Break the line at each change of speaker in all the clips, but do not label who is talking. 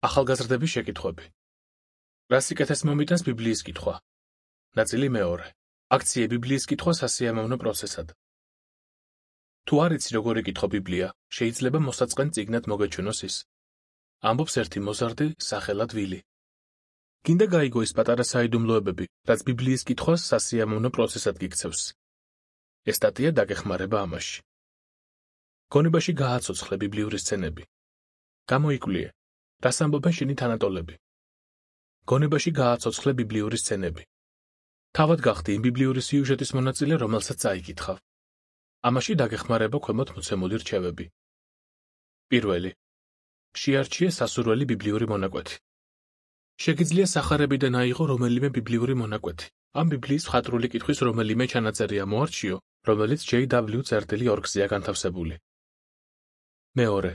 ახალგაზრდების შეკითხვები. რა სიკეთეს მომიტანს ბიბლიის კითხვა? ნაწილი მეორე. აქციე ბიბლიის კითხვა სასიამოვნო პროცესად. თუ არ იცი როგორ იკითხო ბიბლია, შეიძლება მოსაწყენ წიგნად მოგეჩვენოს ის. ამბობს ერთი მოზარდი სახელად ვილი. გინდა გაიგო ის პატარა საიდუმლოებები, რაც ბიბლიის კითხვას სასიამოვნო პროცესად გიქცევს. ეს სტატია დაგეხმარება ამაში. გონებაში გააცოცხლე ბიბლიური სცენები. გამოიკვლიე, რას ამბობენ შენი თანატოლები. გონებაში გააცოცხლე ბიბლიური სცენები. თავად გახდი იმ ბიბლიური სიუჟეტის მონაწილე, რომელსაც წაიკითხავ. ამაში დაგეხმარება ქვემოთ მოცემული რჩევები. პირველი. შეარჩიე სასურველი ბიბლიური მონაკვეთი. შეგიძლია სახარებიდან აიღო რომელიმე ბიბლიური მონაკვეთი. ამ ბიბლიის მხატვრული კითხვის რომელიმე ჩანაწერი ამოარჩიო, რომელიც J.W. წერტილი ორგზეა განთავსებული. მეორე.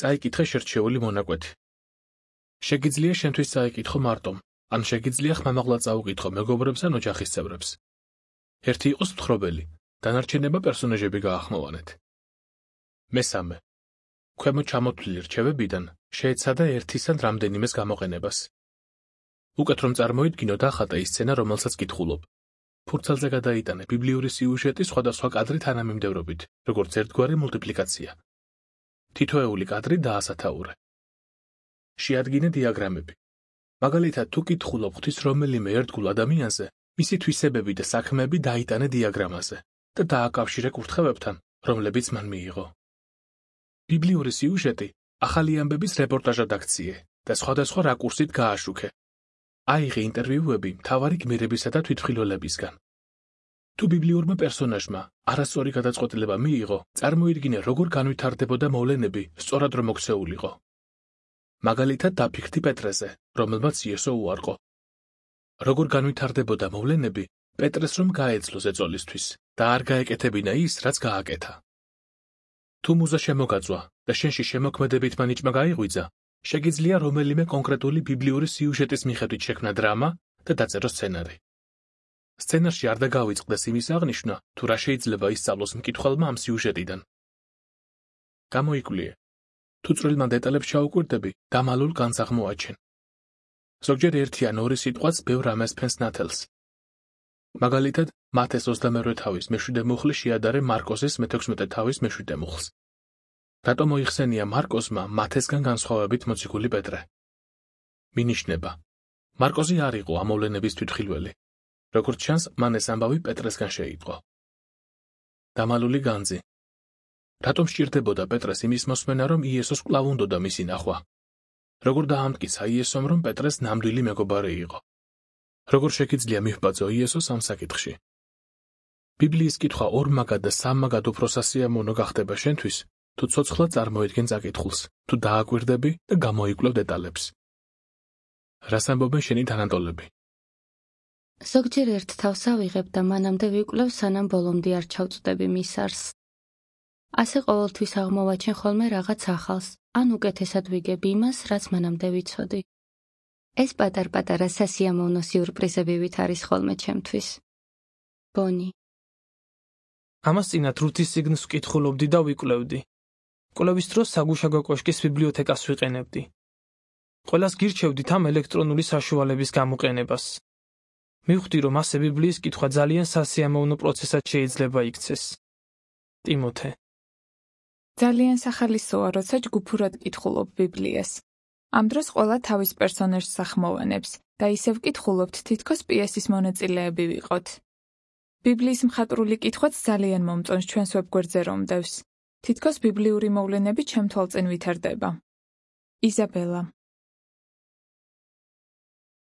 წაიკითხე შერჩეული მონაკვეთი. შეგიძლია შენთვის წაიკითხო მარტომ, ან შეგიძლია ხმამაღლა წაუკითხო მეგობრებს ან ოჯახის წევრებს. ერთი იყოს მთხრობელი, დანარჩენება პერსონაჟები გაახმოვანეთ. მესამე. ქვემოთ ჩამოთვლილი რჩევებიდან შეეცადა ერთის ან რამდენიმეს გამოყენებას. უკეთ რომ წარმოიდგინოთ ახატე ის სცენა, რომელსაც კითხულობ. ფურცელზე გადაიტანე ბიბლიური სიუჟეტის სხვადასხვა კადრი თანამიმდევრობით, როგორც ერთგვარი მულტიპლიკაცია. თითოეული კადრი დაასათაურე. შეადგინე დიაგრამები. მაგალითად, თუ კითხულობ ღვთის რომელიმე ერთგულ ადამიანზე, მისი თვისებები და საქმეები დაიტანე დიაგრამაზე და დააკავშირე კურთხევებთან, რომლებიც მან მიიღო. ბიბლიური სიუჟეტი ახალი ამბების რეპორტაჟად აქციე და სხვადასხვა რაკურსით გააშუქე. აიღე ინტერვიუები მთავარი გმირებისა და თვითმხილველებისგან. თუ ბიბლიურმა პერსონაჟმა არასწორი გადაწყვეტილება მიიღო, წარმოიდგინე, როგორ განვითარდებოდა მოვლენები სწორად რომ მოქცეულიყო. მაგალითად, დაფიქრდი პეტრეზე, რომელმაც იესო უარყო. როგორ განვითარდებოდა მოვლენები, პეტრეს რომ გაეძლო ზეწოლისთვის და არ გაეკეთებინა ის, რაც გააკეთა. თუ მუზა შემოგაწვა და შენში შემოქმედებით მანიჭმა გაიღვიძა, შეგიძლია რომელიმე კონკრეტული ბიბლიური სიუჟეტის მიხედვით შექმნა დრამა და დაწერო სცენარი. სცენარში არ დაგავიწყდეს იმის აღნიშვნა, თუ რა შეიძლება ისწავლოს მკითხველმა ამ სიუჟეტიდან. გამოიკვლიე. თუ წვრილმა დეტალებს ჩაუკვირდები, დამალულ განს აღმოაჩენ. ზოგჯერ ერთი ან ორი სიტყვაც ბევრ რამეს ფენს ნათელს. მაგალითად, მათეს 22 თავის მე-7 მუხლი შეადარე მარკოსის მე-16 თავის მე-7 მუხლს. რატომ მოიხსენია მარკოსმა მათესგან განსხვავებით მოციქული პეტრე? მინიშნება. მარკოსი არ იყო ამ მოვლენების თვითმხილველი. როგორც ჩანს, მან ეს ამბავი პეტრესგან შეიტყო. დამალული განძი. რატომ სჭირდებოდა პეტრეს იმის მოსმენა, რომ იესოს კვლავ უნდოდა მისი ნახვა? როგორ დაამტკიცა იესომ, რომ პეტრეს ნამდვილი მეგობარი იყო? როგორ შეგიძლია მივბაძო იესოს ამ საკითხში? ბიბლიის კითხვა ორმაგად და სამმაგად უფრო სასიამოვნო გახდება შენთვის, თუ ცოცხლად წარმოედგენ საკითხულს, თუ დააკვირდები და გამოიკვლევ დეტალებს. რას ამბობენ შენი თანატოლები?
ზოგჯერ ერთ თავს ავიღებ და მანამდე ვიკვლევ, სანამ ბოლომდე არ ჩავწვდები მის არსს. ასე ყოველთვის აღმოვაჩენ ხოლმე რაღაც ახალს, ან უკეთესად ვიგებ იმას, რაც მანამდე ვიცოდი. ეს პატარ-პატარა სასიამოვნო სიურპრიზებივით არის ხოლმე ჩემთვის. ბონი.
ამას წინათ რუთის წიგნს ვკითხულობდი და ვიკვლევდი. კვლევის დროს საგუშაგო კოშკის ბიბლიოთეკას ვიყენებდი. ყველას გირჩევდით ამ ელექტრონული საშუალების გამოყენებას. მივხვდი, რომ ასე ბიბლიის კითხვა ძალიან სასიამოვნო პროცესად შეიძლება იქცეს. ტიმოთე.
ძალიან სახალისოა, როცა ჯგუფურად კითხულობ ბიბლიას. ამ დროს ყველა თავის პერსონაჟს ახმოვანებს და ისევ ვკითხულობთ, თითქოს პიესის მონაწილეები ვიყოთ. ბიბლიის მხატვრული კითხვაც ძალიან მომწონს ჩვენს ვებგვერდზე რომ დევს. თითქოს ბიბლიური მოვლენები ჩემ თვალწინ ვითარდება. იზაბელა.